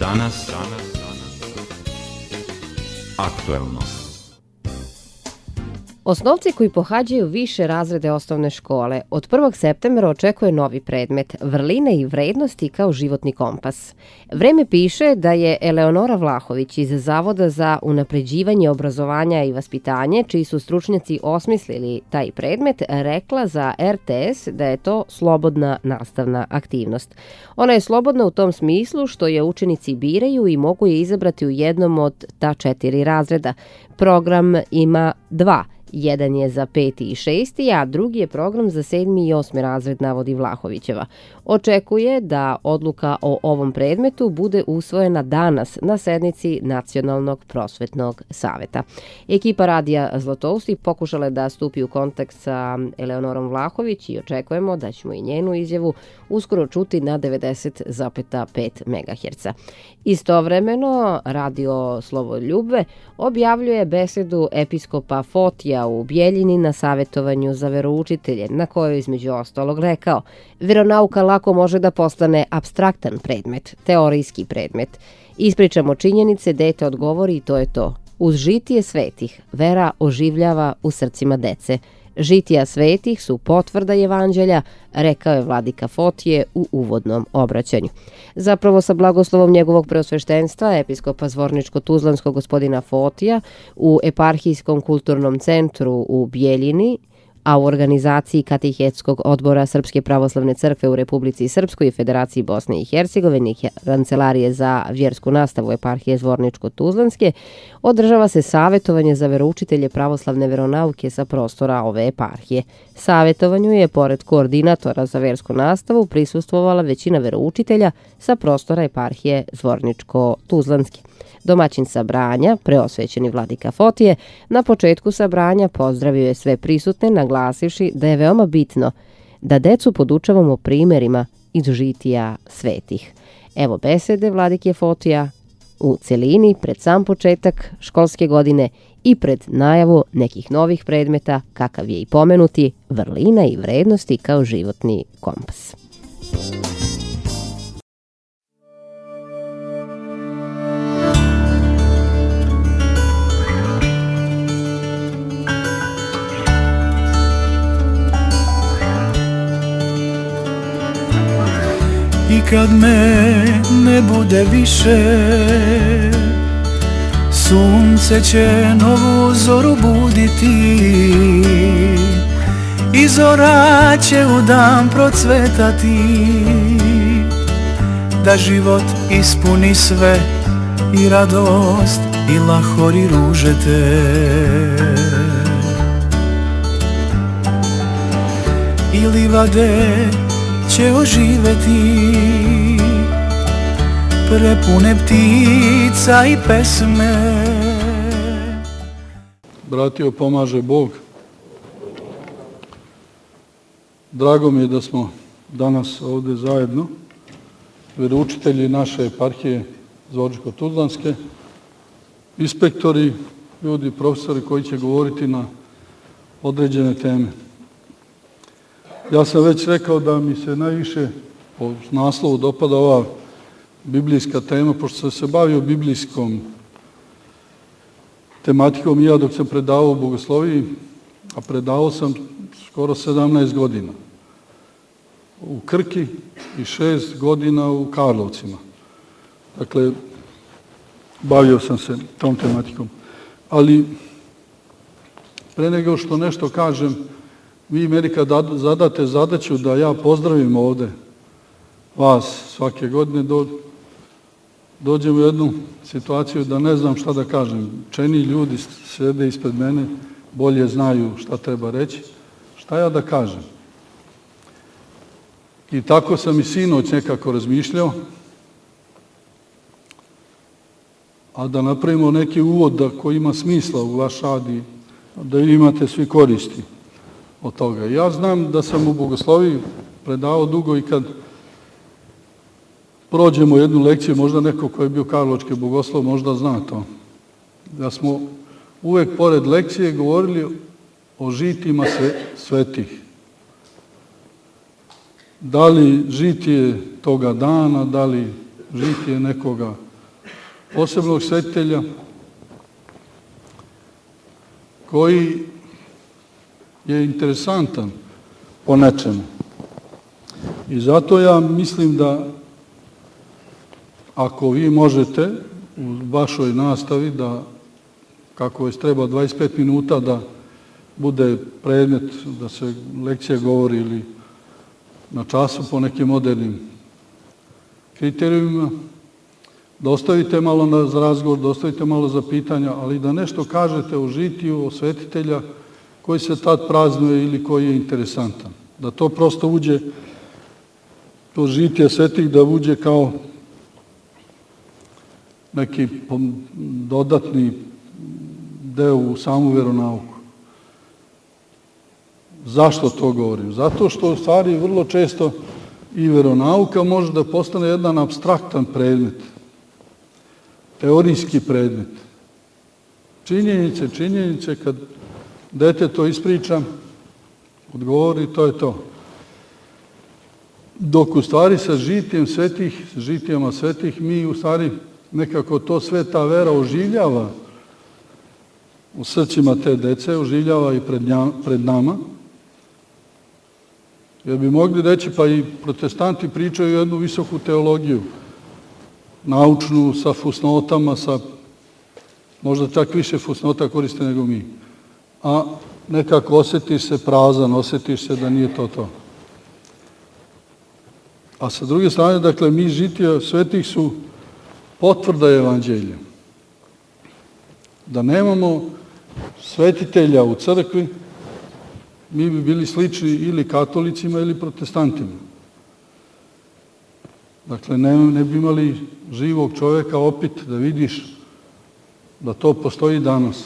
Danas aktuelno. Osnovci koji pohađaju više razrede osnovne škole od 1. septembra očekuje novi predmet vrline i vrednosti kao životni kompas. Vreme piše da je Eleonora Vlahović iz Zavoda za unapređivanje obrazovanja i vaspitanje, čiji su stručnjaci osmislili taj predmet, rekla za RTS da je to slobodna nastavna aktivnost. Ona je slobodna u tom smislu što je učenici biraju i mogu je izabrati u jednom od ta 4 razreda. Program ima 2. Jedan je za 5. i 6. a drugi je program za 7. i 8. razred, navodi Vlahovićeva. Očekuje da odluka o ovom predmetu bude usvojena danas na sednici Nacionalnog prosvetnog saveta. Ekipa Radija Zlatousti pokušala je da stupi u kontakt sa Eleonorom Vlahović i očekujemo da ćemo i njenu izjavu uskoro čuti na 90,5 MHz. Istovremeno, Radio Slovoljubve objavljuje besedu episkopa Fotija u Bjeljini na savjetovanju za veroučitelje, na kojoj između ostalog rekao: veronauka lako može da postane apstraktan predmet, teorijski predmet. Ispričamo činjenice, dete odgovori i to je to. Uz žitije svetih, vera oživljava u srcima dece. Žitija svetih su potvrda evanđelja, rekao je vladika Fotije u uvodnom obraćanju. Zapravo sa blagoslovom njegovog preosveštenstva, episkopa Zvorničko-Tuzlanskog gospodina Fotija, u eparhijskom kulturnom centru u Bjeljini, a u organizaciji Katehetskog odbora Srpske pravoslavne crkve u Republici Srpskoj i Federaciji Bosne i Hercegovine i Kancelarije za vjersku nastavu eparhije Zvorničko-Tuzlanske, održava se savjetovanje za veroučitelje pravoslavne veronauke sa prostora ove eparhije. Savjetovanju je, pored koordinatora za vjersku nastavu, prisustvovala većina veroučitelja sa prostora eparhije Zvorničko-Tuzlanske. Domaćin sabranja, preosvećeni vladika Fotije, na početku sabranja pozdravio je sve prisutne, naglasivši da je veoma bitno da decu podučavamo primjerima iz žitija svetih. Evo besede vladike Fotija u celini pred sam početak školske godine i pred najavu nekih novih predmeta, kakav je i pomenuti vrlina i vrednosti kao životni kompas. I kad me ne bude više, sunce će novu zoru buditi i zora će u dan procvetati, da život ispuni sve i radost i lahori ružete. I livade će oživeti, prepune ptica i pesme. Bratio, pomaže Bog. Drago mi je da smo danas ovdje zajedno, veroučitelji naše eparhije Zvorničko-Tuzlanske, inspektori, ljudi, profesori koji će govoriti na određene teme. Ja sam već rekao da mi se najviše po naslovu dopada ova biblijska tema, pošto sam se bavio biblijskom tematikom i ja dok sam predavao u bogosloviji, a predavao sam skoro 17 godina u Krki i 6 godina u Karlovcima. Dakle, bavio sam se tom tematikom. Ali pre nego što nešto kažem, vi meni kad zadate zadaću da ja pozdravim ovdje vas svake godine, dođem u jednu situaciju da ne znam šta da kažem. Učeni ljudi sjede ispred mene, bolje znaju šta treba reći. Šta ja da kažem? I tako sam i sinoć nekako razmišljao, a da napravimo neki uvod koji ima smisla u vaš rad i da imate svi koristi od toga. Ja znam da sam u bogosloviji predavao dugo i kad prođemo jednu lekciju, možda neko ko je bio karlovački bogoslov možda zna to, da smo uvek pored lekcije govorili o žitima svetih. Da li žitije toga dana, da li žitije nekoga posebnog svetitelja koji je interesantan po nečemu. I zato ja mislim da ako vi možete u vašoj nastavi da, kako već treba 25 minuta da bude predmet, da se lekcija govori ili na času po nekim modernim kriterijumima, da ostavite malo za razgovor, da ostavite malo za pitanja, ali da nešto kažete o žitiju, o svetitelja koji se tad praznuje ili koji je interesantan. Da to prosto uđe, to žitije svetih da uđe kao neki dodatni deo u samu veronauku. Zašto to govorim? Zato što u stvari vrlo često i veronauka može da postane jedan apstraktan predmet, teorijski predmet. Činjenice, kad dete to ispriča, odgovori, to je to. Dok u stvari sa žitijama svetih, mi u stvari nekako to sve ta vera oživljava u srcima te dece, oživljava i pred nama. Jer bi mogli reći, pa i protestanti pričaju jednu visoku teologiju, naučnu, sa fusnotama, možda čak više fusnota koriste nego mi. A nekako osjetiš se prazan, osjetiš se da nije to. A sa druge strane, dakle, mi žitija svetih su potvrda evanđelja. Da nemamo svetitelja u crkvi, mi bi bili slični ili katolicima ili protestantima. Dakle, ne bi imali živog čoveka opet da vidiš da to postoji danas.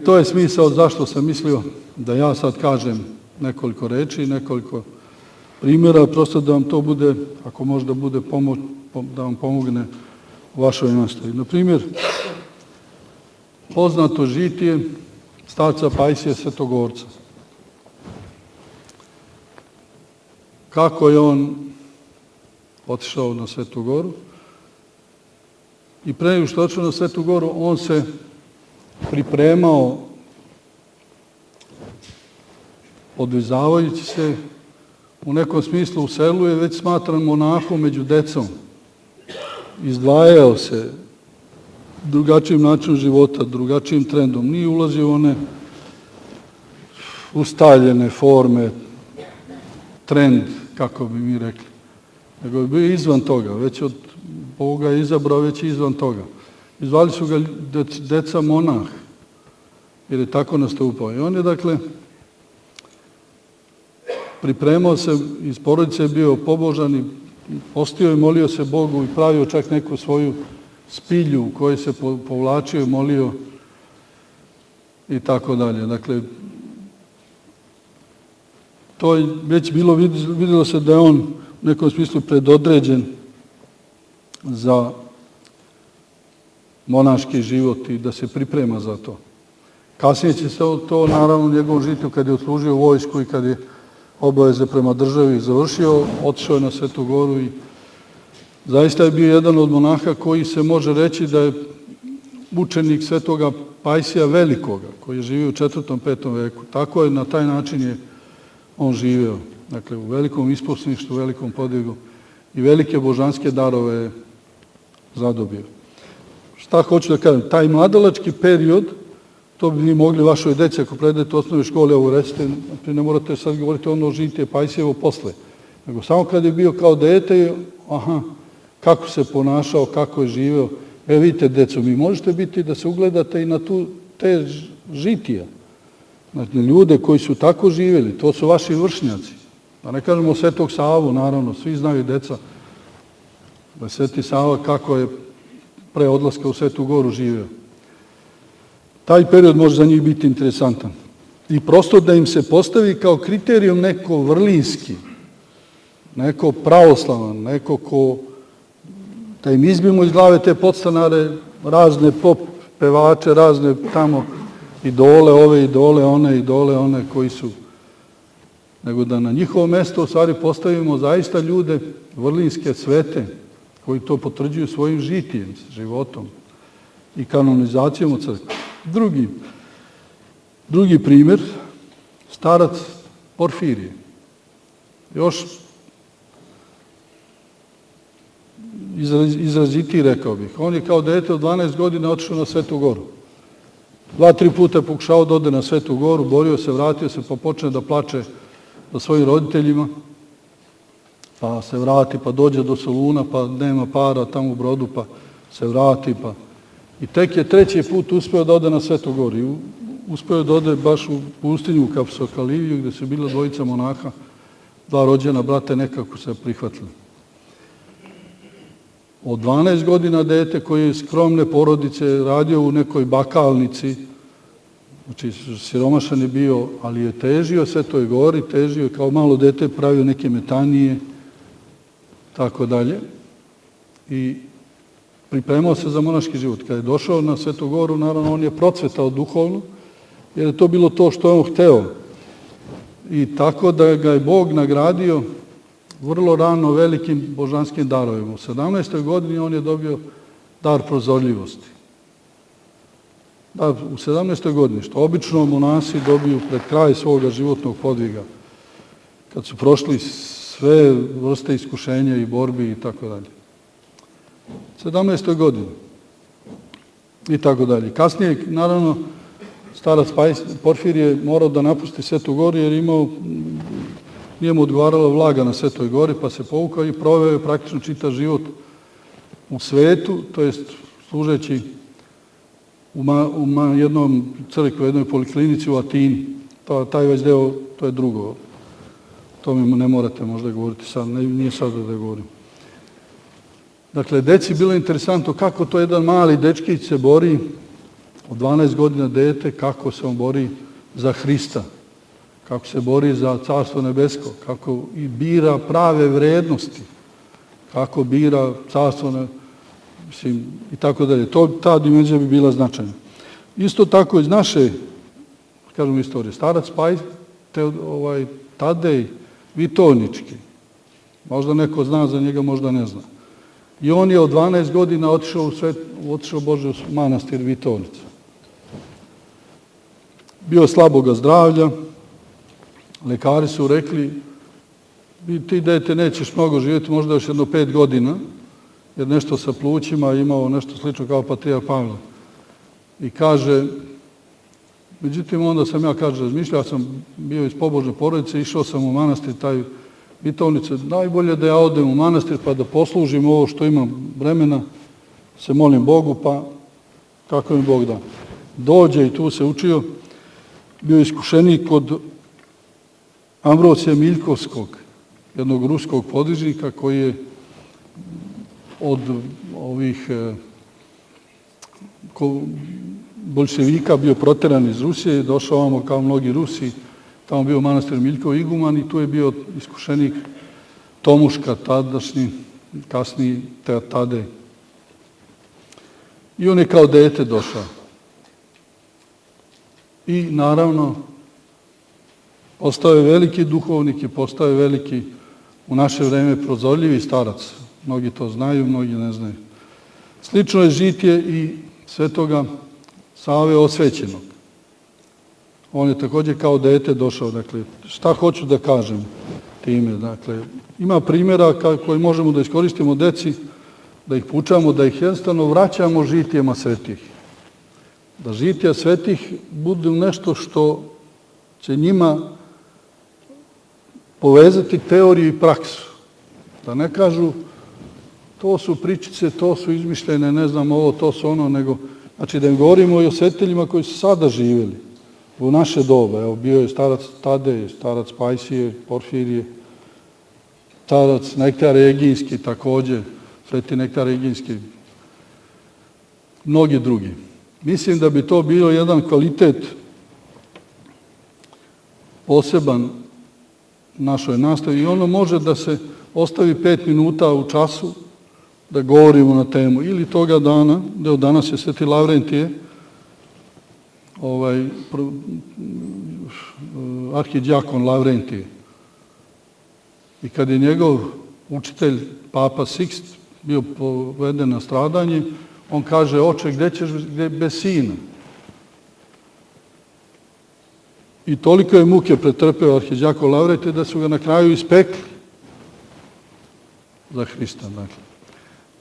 To je smisao zašto sam mislio da ja sad kažem nekoliko reči, nekoliko primjera, prosto da vam to bude, ako možda bude pomoć, da vam pomogne u vašoj nastavi. Na primjer, poznato žitije starca Pajsija Svetogorca. Kako je on otišao na Svetu Goru i pre nego što je otišao na Svetu Goru, on se pripremao odvizavajući se, u nekom smislu u selu je već smatran monahom među decom. Izdvajao se drugačijim načinom života, drugačijim trendom. Nije ulazio u one ustaljene forme, trend, kako bi mi rekli. Nego je bio izvan toga, već od Boga je izabrao, već izvan toga. Izvali su ga deca monah, jer je tako nastupao. I on je, dakle, pripremao se, iz porodice je bio pobožan i postio i molio se Bogu i pravio čak neku svoju spilju u kojoj se povlačio i molio i tako dalje. Dakle, to je već bilo, vidjelo se da je on u nekom smislu predodređen za monaški život i da se priprema za to. Kasnije će se to, naravno, u njegovom žitu, kad je odslužio vojsku i kad je obaveze prema državi završio, otišao je na Svetu Goru i zaista je bio jedan od monaha koji se može reći da je učenik Svetoga Pajsija Velikoga, koji je živio u 4. 5. veku. Tako je, na taj način je on živeo. Dakle, u velikom isposništvu, u velikom podvigu i velike božanske darove je zadobio. Šta hoću da kažem? Taj mladalački period, to bi vi mogli vašoj deci, ako predajete u osnovnoj školi, ovo recite, ne morate sad govoriti ono žitije Pajsijevo posle, nego samo kad je bio kao dete, kako se ponašao, kako je živeo. Vidite, deco, mi možete biti da se ugledate i na te žitija. Znači, ljude koji su tako živjeli, to su vaši vršnjaci. Da ne kažemo Svetog Savu, naravno, svi znaju deca da je Sveti Sava kako je pre odlaska u Svetu Goru živeo. Taj period može za njih biti interesantan. I prosto da im se postavi kao kriterijum neko vrlinski, neko pravoslavan, neko ko, da im izbimo iz glave te podstanare, razne pop pevače, razne tamo idole, ove idole, one koji su, nego da na njihovo mesto u stvari postavimo zaista ljude vrlinske, svete, koji to potvrđuju svojim žitijem, životom i kanonizacijom u crkvi. Drugi primjer, starac Porfirije. Još izrazitiji, rekao bih. On je kao dete od 12 godina otišao na Svetu Goru. 2-3 puta je pokušao da ode na Svetu Goru, borio se, vratio se, pa počne da plače za svojim roditeljima, pa se vrati, pa dođe do Soluna, pa nema para tamo u Brodu, pa se vrati, pa... I tek je 3. put uspeo da ode na Svetu Goru. I uspeo da ode baš u pustinju, u Kapsokaliviju, gde su bila 2 monaha, 2 rođena brata, nekako se prihvatili. Od 12 godina dete koji je skromne porodice, radio u nekoj bakalnici, znači siromašan je bio, ali je težio Svetoj Gori, težio je kao malo dete, pravio neke metanije, tako dalje. I pripremao se za monaški život. Kada je došao na Svetu Goru, naravno, on je procvetao duhovno, jer je to bilo to što je on hteo. I tako da ga je Bog nagradio vrlo rano velikim božanskim darovima. U 17. godini on je dobio dar prozorljivosti. Da, u 17. godini, što obično monasi dobiju pred kraj svoga životnog podviga, kad su prošli sve vrste iskušenja i borbi i tako dalje. 17. godini i tako dalje. Kasnije, naravno, starac Porfirije je morao da napusti Svetu Goru jer nije mu odgovarala vlaga na Svetoj Gori, pa se povukao i proveo je praktično čitav život u svetu, to jest služeći u jednom crkvi, u jednoj poliklinici u Atini. Taj već deo, to je drugo. To mi ne morate možda govoriti sad, nije sad da govorim. Dakle, deci bilo interesantno kako to jedan mali dečkić se bori, od 12 godina dete, kako se on bori za Hrista, kako se bori za Carstvo nebesko, kako i bira prave vrednosti, kako bira Carstvo, mislim, i tako dalje. Ta dimenzija bi bila značajna. Isto tako iz naše, kažemo, istorije, starac Tadej Vitovnički, možda neko zna za njega, možda ne zna. I on je od 12 godina otišao Bože u manastir Vitovnica. Bio slaboga zdravlja, lekari su rekli, ti dete nećeš mnogo živjeti, možda još jedno 5 godina, jer nešto sa plućima imao nešto slično kao patrijarh Pavle. I kaže, međutim onda sam ja, kaže, razmišljao sam, bio iz pobožne porodice, išao sam u manastir taj Vitovnice, najbolje da ja odem u manastir pa da poslužim ovo što imam vremena, se molim Bogu, pa kako mi Bog da. Dođe i tu se učio, bio iskušenik kod Ambrosija Miljkovskog, jednog ruskog podvižnika koji je od ovih boljševika bio proteran iz Rusije, došao ovamo kao mnogi Rusi, tamo bio manastir Miljkov iguman i tu je bio iskušenik Tomuška, tadašnji, kasniji Tadej. I on je kao dete došao. I naravno, postao je veliki duhovnik i postao je veliki u naše vreme prozorljivi starac. Mnogi to znaju, mnogi ne znaju. Slično je žitije i svetoga Save Osvećenog. On je također kao dete došao. Dakle, šta hoću da kažem time? Dakle, ima primjera koji možemo da iskoristimo deci, da ih poučamo, da ih jednostavno vraćamo žitijama svetih. Da žitija svetih budu nešto što će njima povezati teoriju i praksu. Da ne kažu to su pričice, to su izmišljene, ne znam ovo, to su ono, nego, znači da im govorimo i o svetiteljima koji su sada živjeli u naše doba. Evo, bio je starac Tadej, starac Pajsije, Porfirije, starac Nektar Egijski također, sveti Nektar Egijski, mnogi drugi. Mislim da bi to bio jedan kvalitet poseban našoj nastavi i ono može da se ostavi 5 minuta u času da govorimo na temu ili toga dana, da danas je sveti Lavrentije, arhidjakon Lavrentije. I kad je njegov učitelj, Papa Sikst, bio poveden na stradanje, on kaže, oče, gde ćeš bez sina? I toliko je muke pretrpeo arhiđakon Lavrentije da su ga na kraju ispekli za Hrista. Dakle,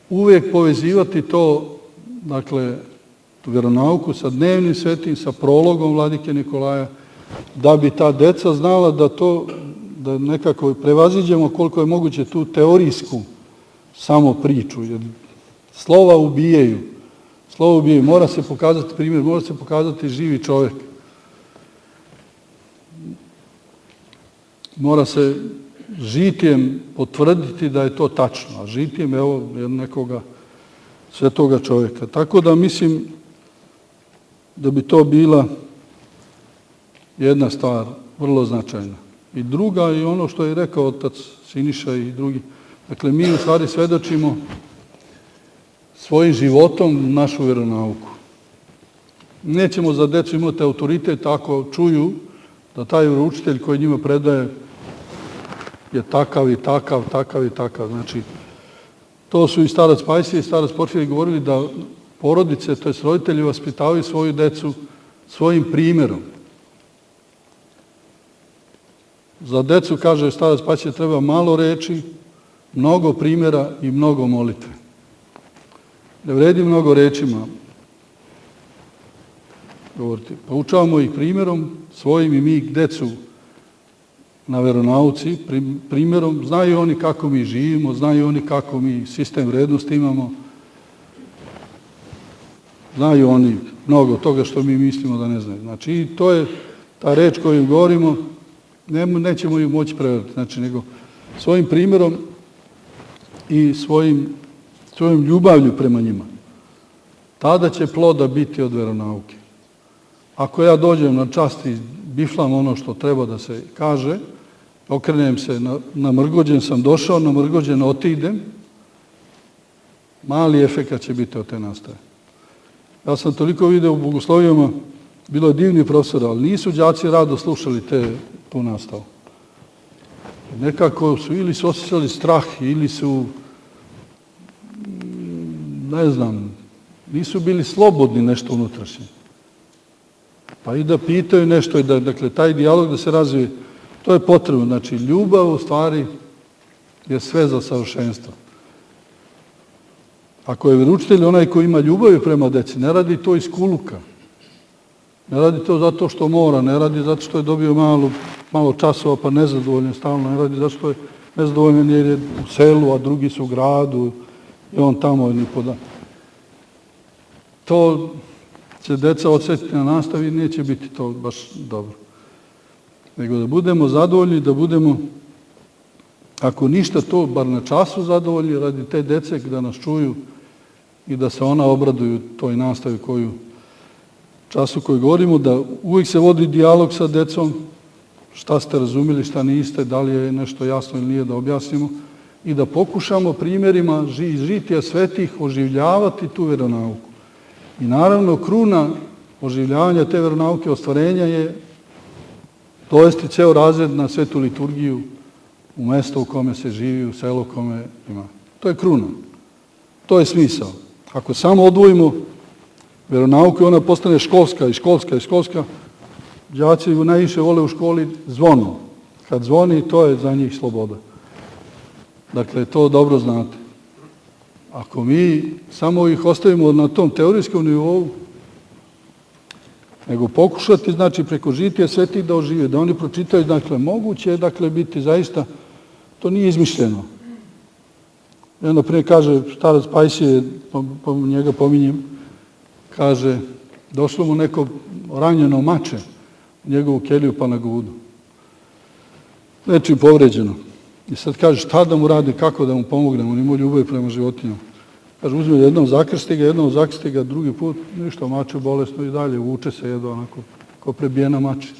uvijek povezivati to, dakle, tu vjeronauku sa dnevnim svetim, sa prologom vladike Nikolaja, da bi ta deca znala da nekako prevaziđemo koliko je moguće tu teorijsku samo priču, jer slova ubijaju, mora se pokazati primjer, mora se pokazati živi čovjek. Mora se žitjem potvrditi da je to tačno, a žitjem evo nekoga svetoga čovjeka. Tako da mislim da bi to bila jedna stvar vrlo značajna. I druga i ono što je rekao otac Siniša i drugi. Dakle, mi u stvari svedočimo svojim životom našu vjeronauku. Nećemo za decu imati autoritet ako čuju da taj vjeroučitelj koji njima predaje je takav i takav, takav i takav. Znači, to su i starac Pajsije i starac Porfirije govorili da porodice, to jest roditelji, vaspitavaju svoju decu svojim primjerom. Za decu, kaže starac Pajsije, treba malo reči, mnogo primjera i mnogo molitve. Ne vredi mnogo rečima govoriti. Poučavamo ih primjerom svojim i mi decu na veronauci, primjerom. Znaju oni kako mi živimo, znaju oni kako mi sistem vrednosti imamo. Znaju oni mnogo toga što mi mislimo da ne znaju. Znači, i to je ta reč koju im govorimo, nećemo ju moći prevariti. Znači, nego svojim primjerom i svojom ljubavlju prema njima. Tada će ploda biti od veronauke. Ako ja dođem na čast i biflam ono što treba da se kaže, okrenem se, namrgođen sam došao, namrgođen otidem, mali efekat će biti od te nastave. Ja sam toliko video u bogoslovijama, bilo je divni profesor, ali nisu đaci rado slušali tu nastavu. Nekako su ili su osjećali strah, ili su, ne znam, nisu bili slobodni nešto unutrašnje. Pa i da pitaju nešto, dakle, taj dijalog da se razvije, to je potrebno. Znači, ljubav u stvari je sve za savršenstvo. Ako je vjeroučitelj onaj koji ima ljubav prema deci, ne radi to iz kuluka. Ne radi to zato što mora, ne radi zato što je dobio malo časova pa nezadovoljan stalno, ne radi zato što je nezadovoljan jer je u selu, a drugi su u gradu i on tamo ni poda. To će deca odsjetiti na nastavi i neće biti to baš dobro. Nego da budemo zadovoljni, da budemo, ako ništa to, bar na času zadovoljni radi te dece da nas čuju i da se ona obraduju toj nastavi času koji govorimo, da uvijek se vodi dijalog sa decom, šta ste razumjeli, šta niste, da li je nešto jasno ili nije da objasnimo i da pokušamo primjerima žitija svetih oživljavati tu vjeronauku. I naravno, kruna oživljavanja te vjeronauke, ostvarenja je dovesti ceo razred na svetu liturgiju u mesto u kome se živi, u selo u kome ima. To je kruna. To je smisao. Ako samo odvojimo vjeronauku i ona postane školska i školska i školska, đaci najviše vole u školi zvonu. Kad zvoni, to je za njih sloboda. Dakle, to dobro znate. Ako mi samo ih ostavimo na tom teorijskom nivou, nego pokušati, znači, preko žitija svetih da ožive, da oni pročitaju, dakle, moguće je, dakle, biti zaista, to nije izmišljeno. I onda prije kaže, starac Pajsije, njega pominjem, kaže, došlo mu neko ranjeno mače u njegovu keliju pa na gudu. Nečim povređeno. I sad kaže, šta da mu radi, kako da mu pomognemo, on ima ljubav prema životinjama. Kaže, uzme jednom zakrsti ga, drugi put, ništa, mače bolesno i dalje, vuče se jedno onako, ko prebijena mače.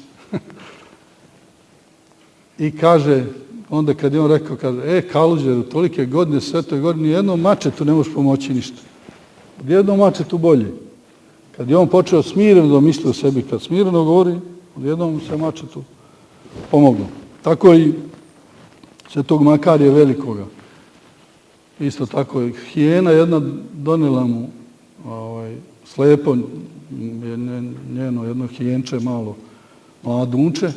I kaže, onda kad je on rekao, kaže, Kaluđeru, tolike godine, svetoj godine, nijednom mačetu ne možeš pomoći ništa. Odjednom mačetu bolje. Kad je on počeo smireno da misli o sebi, kad smireno govori, odjednom se mačetu pomoglo. Tako i svetog Makarija Velikoga. Isto tako, hijena jedna donijela mu slepo njeno jedno hijenče malo mladunče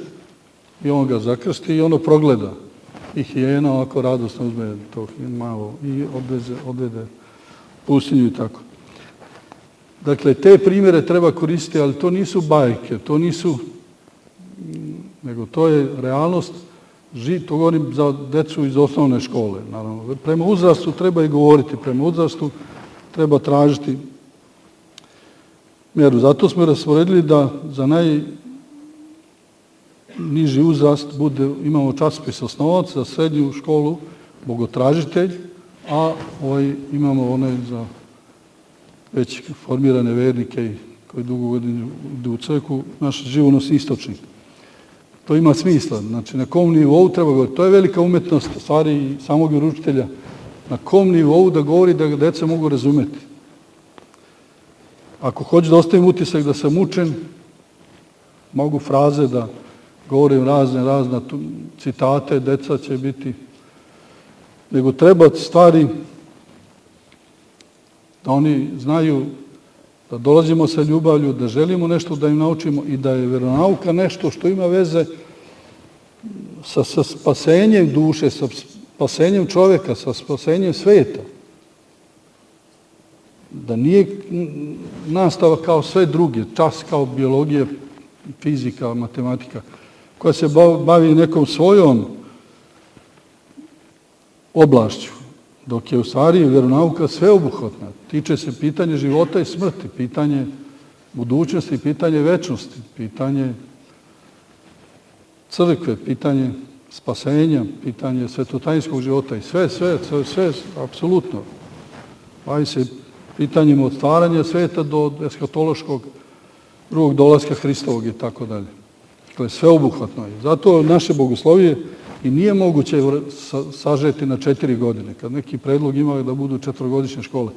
i on ga zakrsti i ono progleda. I hijena ovako radosno uzme to malo i odvede pustinju i tako. Dakle, te primjere treba koristiti, ali to nisu bajke, nego to je realnost. To govorim za decu iz osnovne škole, naravno. Prema uzrastu treba i govoriti, prema uzrastu treba tražiti mjeru. Zato smo rasporedili da za najniži uzrast imamo časopis osnovac, za srednju školu bogotražitelj, a imamo one za već formirane vernike koji dugo godina idu u crkvu, naš živonosni istočnik. To ima smisla. Znači, na kom nivou treba govoriti. To je velika umetnost, stvari i samog vjeroučitelja. Na kom nivou da govori da ga deca mogu razumeti. Ako hoću da ostavim utisak da sam učen, mogu fraze da govorim razne citate, deca će biti. Nego treba stvari da oni znaju da dolazimo sa ljubavlju, da želimo nešto da im naučimo i da je vjeronauka nešto što ima veze sa spasenjem duše, sa spasenjem čovjeka, sa spasenjem svijeta. Da nije nastava kao sve druge, čas kao biologija, fizika, matematika, koja se bavi nekom svojom oblašću, dok je u stvari vjeronauka sveobuhvatna. Tiče se pitanje života i smrti, pitanje budućnosti, pitanje večnosti, pitanje crkve, pitanje spasenja, pitanje svetotajinskog života i sve, apsolutno. Bavi se pitanjima od stvaranja sveta do eskatološkog drugog dolaska Hristovog i tako dalje. Dakle, sveobuhvatno je. Zato naše bogoslovije i nije moguće sažeti na 4 godine. Kad neki predlog ima da budu 4-godišnje škole,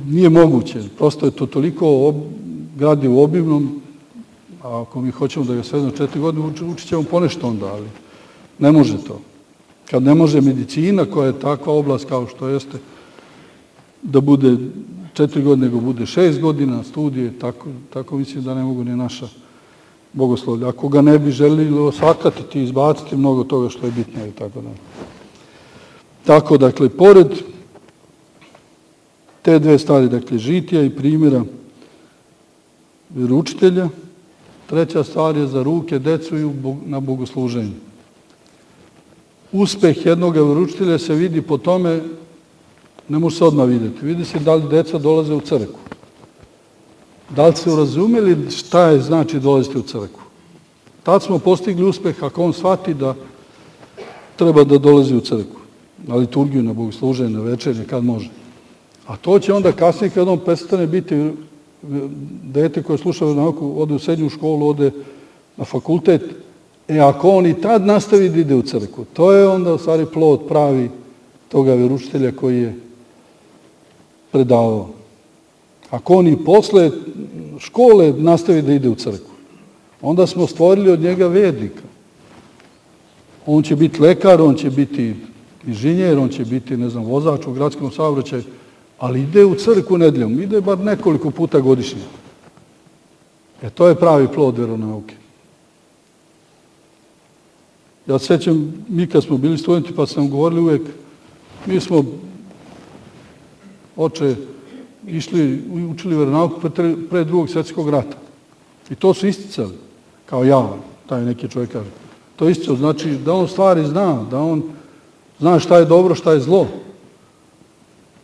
nije moguće. Prosto je to toliko gradivo obimnom, a ako mi hoćemo da ga svedemo 4 godine, učit ćemo ponešto onda, ali ne može to. Kad ne može medicina, koja je takva oblast kao što jeste, da bude 4 godine, nego bude 6 godina studije, tako mislim da ne mogu ni naša bogoslovlja. Ako ga ne bi želili osakatiti, izbaciti mnogo toga što je bitno i tako da. Tako, dakle, pored te dve stvari, dakle, žitija i primjera vjeroučitelja, treća stvar je za ruke decu i na bogosluženju. Uspeh jednog vjeroučitelja se vidi po tome, ne može se odmah vidjeti. Vidi se da li deca dolaze u crkvu. Da li su razumjeli šta je znači dolaziti u crkvu. Tad smo postigli uspeh ako on shvati da treba da dolazi u crkvu. Na liturgiju, na bogosluženje, na večernje, kad može. A to će onda kasnije kad on prestane biti dete koje sluša vjeronauku, ode u srednju školu, ode na fakultet. Ako on i tad nastavi da ide u crkvu, to je onda u stvari plod pravi toga vjeroučitelja koji je predavao. Ako on i posle škole nastavi da ide u crkvu, onda smo stvorili od njega vernika. On će biti lekar, on će biti inženjer, on će biti, vozač u gradskom saobraćaju, ali ide u crkvu nedjeljom, ide bar nekoliko puta godišnje. To je pravi plod vjeronauke. Ja se sjećam, mi kad smo bili studenti, pa sam govorili uvijek, mi smo, oče, učili vjeronauku pre Drugog svjetskog rata. I to su isticali, kao ja, taj neki čovjek kaže. To isticao, znači da on stvari zna, da on zna šta je dobro, šta je zlo.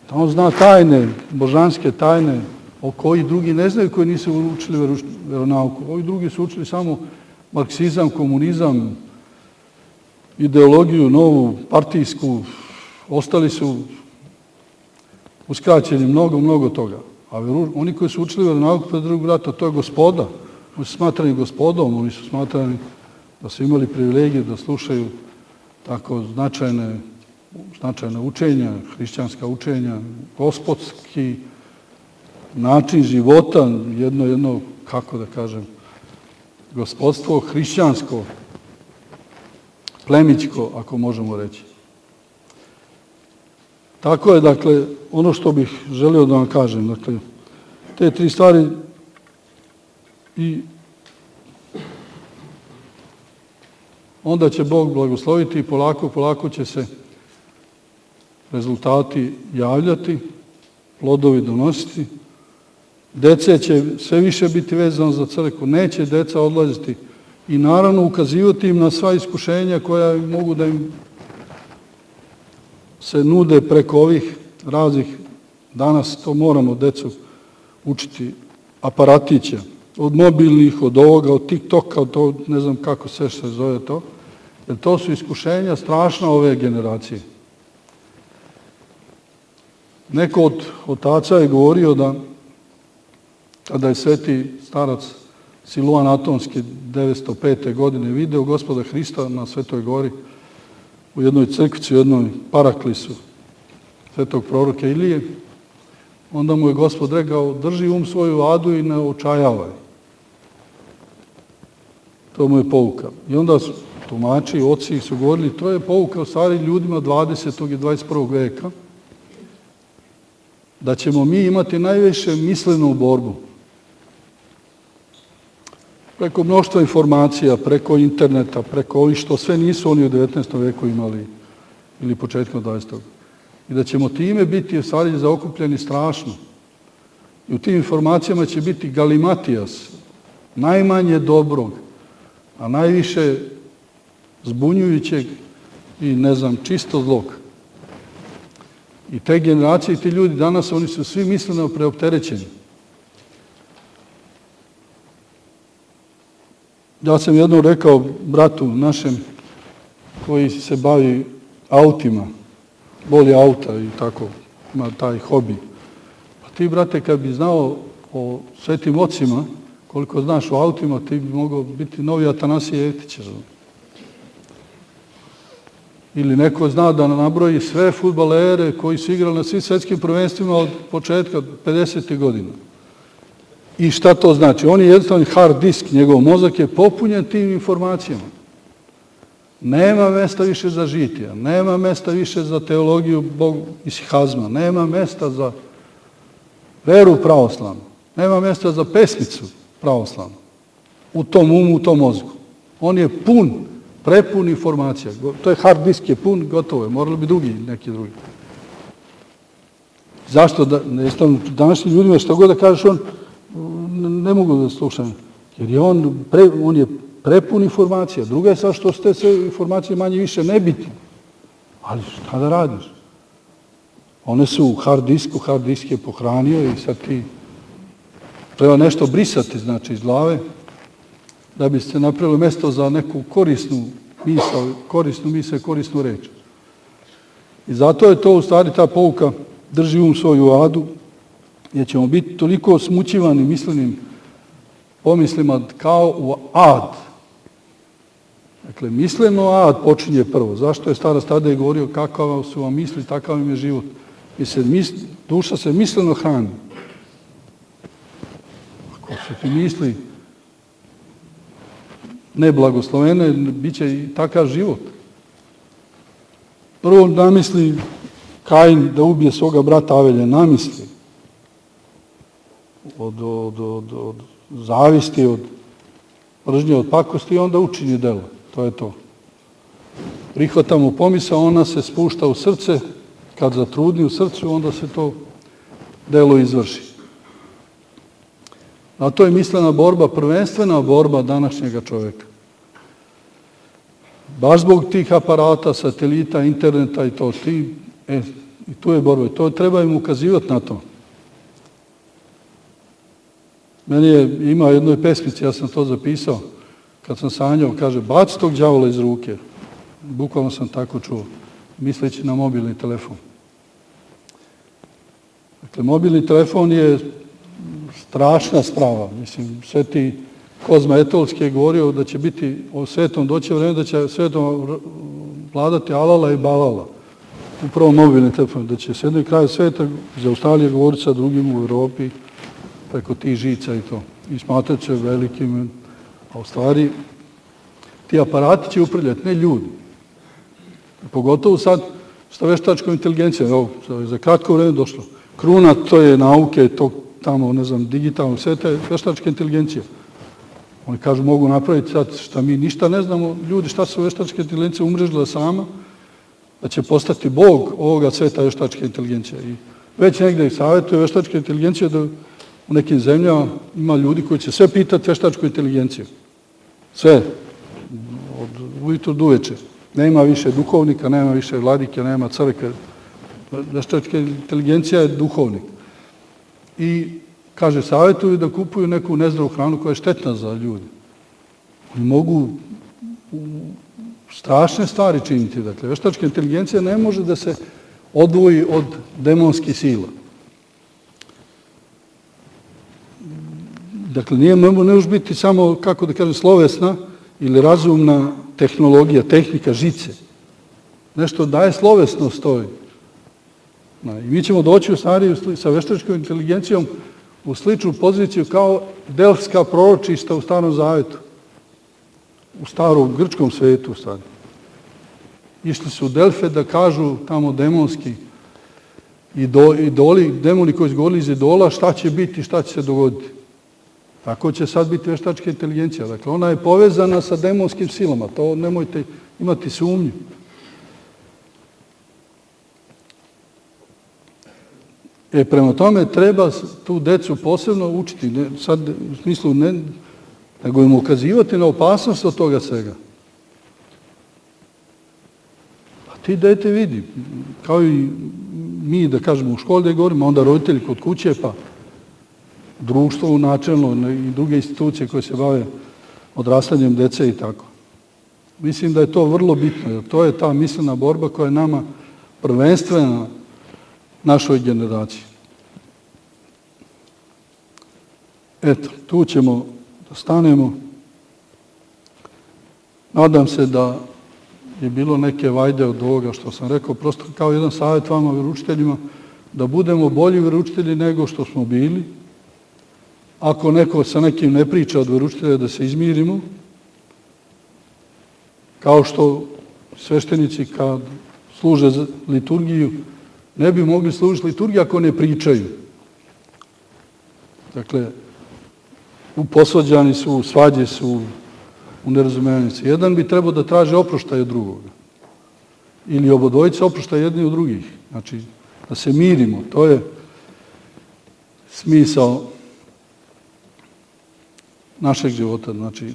Da on zna tajne, božanske tajne, o koji drugi ne znaju, koji nisu učili vjeronauku. Ovi drugi su učili samo marksizam, komunizam, ideologiju novu, partijsku, ostali su uskraćeni mnogo toga. A oni koji su učili vjeronauku pred Drugog rata, to je gospoda. Oni su smatrani gospodom, oni su smatrani da su imali privilegiju da slušaju tako značajna učenja, hrišćanska učenja, gospodski način života, jedno, kako da kažem, gospodstvo hrišćansko, plemićko, ako možemo reći. Tako je, dakle, ono što bih želio da vam kažem, dakle, te 3 stvari i onda će Bog blagosloviti i polako će se rezultati javljati, plodovi donositi. Dece će sve više biti vezano za crkvu, neće deca odlaziti i naravno ukazivati im na sva iskušenja koja mogu da im se nude preko ovih raznih, danas to moramo decu učiti, aparatića, od mobilnih, od ovoga, od TikToka, od to, ne znam kako sve se zove to, jer to su iskušenja strašna ove generacije. Neko od otaca je govorio da kada je sveti starac Siluan Atonski 905. godine video Gospoda Hrista na Svetoj gori u jednoj crkvici, u jednoj paraklisu svetog proroka Ilije, onda mu je Gospod rekao, drži svoju adu i ne očajavaj. To mu je pouka. I onda su tumači, oci su govorili, to je pouka u stvari ljudima 20. i 21. veka, da ćemo mi imati najviše mislenu borbu. Preko mnoštva informacija, preko interneta, preko ovih što sve nisu oni u 19. veku imali ili početkom 20. I da ćemo time biti u stvari zaokupljeni strašno. I u tim informacijama će biti galimatijas, najmanje dobrog, a najviše zbunjujućeg i ne znam, čisto zlog. I te generacije i ti ljudi danas, oni su svi misleno preopterećeni. Ja sam jednom rekao bratu našem koji se bavi autima, voli auta i tako, ima taj hobi. Pa ti, brate, kad bi znao o svetim ocima, koliko znaš o autima, ti bi mogao biti novi Atanasije Jeftić. Ili neko zna da nabroji sve fudbalere koji su igrali na svim svetskim prvenstvima od početka 50. godina. I šta to znači? On je jednostavno hard disk, njegov mozak je popunjen tim informacijama. Nema mesta više za žitija, nema mesta više za teologiju isihazma, nema mesta za veru pravoslavnu, nema mesta za pesmicu pravoslavnu u tom umu, u tom mozgu. On je prepun informacija. To je hard disk, je pun, gotovo je. Morali bi neki drugi. Zašto? Današnjim ljudima što god da kažeš, on ne mogu da slušam. Jer je on je prepun informacija. Druga je sad što ste sve informacije manje više nebitne. Ali šta da radiš? One su u hard disku, hard disk je pohranio i sad ti treba nešto brisati, znači, iz glave, da bi se napravilo mesto za neku korisnu misao, korisnu reč. I zato je to u stvari ta pouka, drži svoju adu, jer ćemo biti toliko smućivani mislenim pomislima kao u ad. Dakle, misleno ad počinje prvo. Zašto je starac tada govorio kakva su vam misli, takav im je život. Duša se misleno hrani. Ako su ti misli neblagoslovene, bit će i takav život. Prvo namisli Kain da ubije svoga brata Avelja, namisli. Od zavisti, od mržnje, od pakosti i onda učini delo. To je to. Prihvata mu pomisao, ona se spušta u srce, kad zatrudni u srcu, onda se to delo izvrši. A to je mislena borba, prvenstvena borba današnjega čoveka. Baš zbog tih aparata, satelita, interneta i to, i tu je borba. To treba im ukazivati na to. Meni ima jednoj pesmici, ja sam to zapisao, kad sam sanjao, kaže, baci tog đavola iz ruke. Bukvalno sam tako čuo, misleći na mobilni telefon. Dakle, mobilni telefon je strašna sprava. Mislim, sveti Kozma Etolski je govorio da će biti o svetom doći vreme, da će svetom vladati alala i balala. Upravo mobilni telefon, da će s jednog kraja sveta iz Australije govoriti sa drugim u Evropi, preko tih žica i to. I smatrat će velikim, a u stvari ti aparati će upravljati, ne ljudi. Pogotovo sad sa veštačkom inteligencijom. Evo, za kratko vreme došlo. Kruna to je nauke, tog tamo, ne znam, digitalnog sveta je veštačka inteligencija. Oni kažu mogu napraviti sad šta mi ništa ne znamo, ljudi šta su veštačke inteligencije umrežila sama, da će postati bog ovoga sveta veštačke inteligencije. I već negde savjetuje veštačke inteligencije da u nekim zemljama ima ljudi koji će sve pitati veštačku inteligenciju. Sve. Od ujutru do uveče. Nema više duhovnika, nema više vladike, nema crkve. Veštačka inteligencija je duhovnik. I, kaže, savjetuju da kupuju neku nezdravu hranu koja je štetna za ljudi. Oni mogu strašne stvari činiti. Dakle, veštačka inteligencija ne može da se odvoji od demonskih sila. Dakle, ne može biti samo, kako da kažem, slovesna ili razumna tehnologija, tehnika, žice. Nešto daje slovesnost toj. I mi ćemo doći u stvari sa veštačkom inteligencijom u sličnu poziciju kao delfska proročišta u Starom Zavetu. U starom grčkom svetu, u stvari. Išli su u Delfe da kažu tamo demonski idoli, demoni koji su govorili iz idola, šta će biti, šta će se dogoditi. Tako će sad biti veštačka inteligencija. Dakle, ona je povezana sa demonskim silama. To nemojte imati sumnju. Prema tome treba tu decu posebno učiti. Sad, u smislu, nego im ukazivati na opasnost od toga svega. A ti dete vidi, kao i mi, da kažemo, u školi da govorimo, onda roditelji kod kuće, pa društvo načelno i druge institucije koje se bave odrastanjem dece i tako. Mislim da je to vrlo bitno, jer to je ta mislena borba koja je nama prvenstvena našoj generaciji. Eto, tu ćemo da stanemo. Nadam se da je bilo neke vajde od ovoga što sam rekao, prosto kao jedan savjet vama, veroučiteljima, da budemo bolji veroučitelji nego što smo bili. Ako neko sa nekim ne priča od veroučitelja, da se izmirimo, kao što sveštenici kad služe liturgiju, ne bi mogli služiti liturgiju ako ne pričaju. Dakle, posvađani su, svađe su, u nerazumevanju. Jedan bi trebao da traže oproštaj od drugoga. Ili obodvojica oproštaj jedni od drugih. Znači, da se mirimo. To je smisao našeg života. Znači,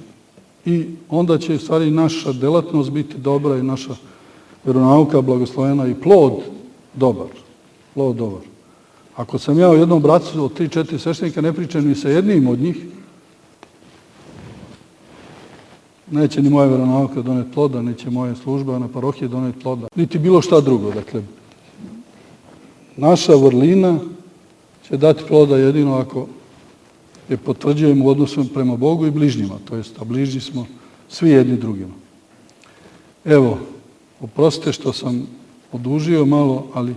i onda će, u stvari, naša delatnost biti dobra i naša veronauka blagoslovena i plod dobar. Plod dobar. Ako sam ja u jednom bracu od 3-4 sveštenika ne pričam ni sa jednim od njih, neće ni moja veronauka doneti ploda, neće moja služba na parohiji doneti ploda, niti bilo šta drugo. Dakle, naša vrlina će dati ploda jedino ako je potvrđujemo u odnosu prema Bogu i bližnjima, to jest, a bližnji smo svi jedni drugima. Evo, oprostite što sam odužio malo, ali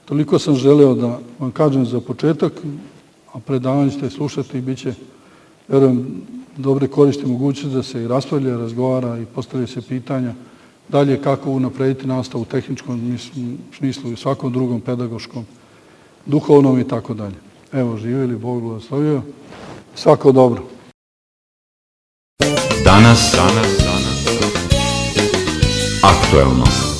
toliko sam želeo da vam kažem za početak, a predavanje ćete slušati i bit će, verujem, dobre koristi mogućnosti da se i raspravlja, razgovara i postavlja se pitanja dalje kako unaprediti nastavu u tehničkom smislu i svakom drugom pedagoškom, duhovnom i tako dalje. Evo, živjeli, Bog blagoslovio. Svako dobro. Danas. Aktuelno.